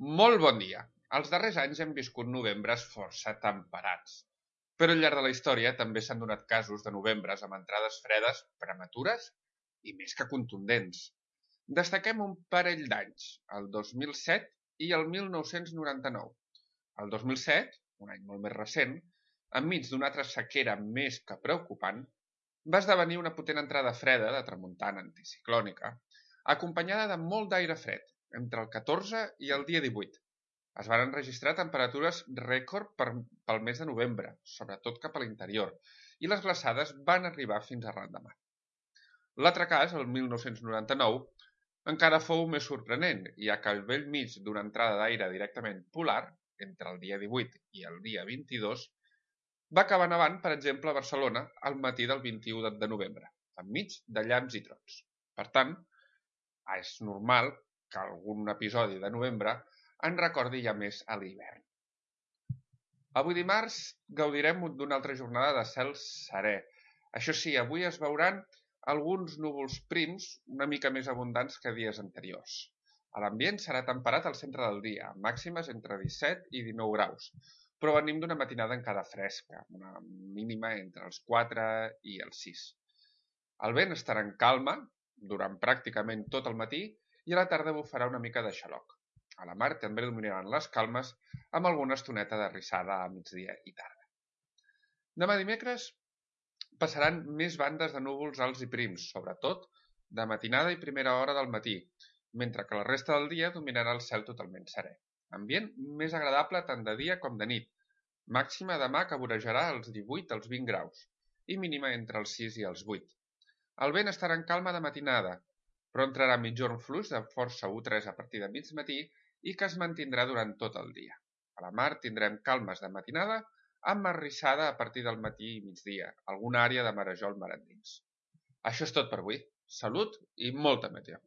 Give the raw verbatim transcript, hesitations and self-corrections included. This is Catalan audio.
Molt bon dia. Els darrers anys hem viscut novembres força temperats. Però al llarg de la història també s'han donat casos de novembres amb entrades fredes prematures i més que contundents. Destaquem un parell d'anys, el dos mil set i el mil nou-cents noranta-nou. El dos mil set, un any molt més recent, enmig d'una altra sequera més que preocupant, va esdevenir una potent entrada freda de tramuntana anticiclònica, acompanyada de molt d'aire fred, entre el catorze i el dia divuit. Es van enregistrar temperatures rècord per, pel mes de novembre, sobretot cap a l'interior, i les glaçades van arribar fins a ran de mar. L'altre cas, el mil nou-cents noranta-nou, encara fou més sorprenent, ja que al bell mig d'una entrada d'aire directament polar, entre el dia divuit i el dia vint-i-dos, va acabar nevant, per exemple, a Barcelona al matí del vint-i-u de novembre, enmig de llamps i trons. Per tant, és normal que algun episodi de novembre en recordi ja més a l'hivern. Avui dimarts gaudirem d'una altra jornada de cel serè. Això sí, avui es veuran alguns núvols prims una mica més abundants que dies anteriors. L'ambient serà temperat al centre del dia, amb màximes entre disset i dinou graus, però venim d'una matinada encara fresca, una mínima entre els quatre i els sis. El vent estarà en calma durant pràcticament tot el matí i a la tarda bufarà una mica de xaloc. A la mar també dominaran les calmes amb alguna estoneta de rissada a migdia i tarda. Demà dimecres passaran més bandes de núvols alts i prims, sobretot de matinada i primera hora del matí, mentre que la resta del dia dominarà el cel totalment serè. Ambient més agradable tant de dia com de nit, màxima demà que vorejarà els divuit als vint graus i mínima entre els sis i els vuit. El vent estarà en calma de matinada, però entrarà mitjorn fluix de força u tres a partir de mig matí i que es mantindrà durant tot el dia. A la mar tindrem calmes de matinada amb arrissada a partir del matí i migdia, alguna àrea de marejol mar endins. Això és tot per avui. Salut i molta meteo.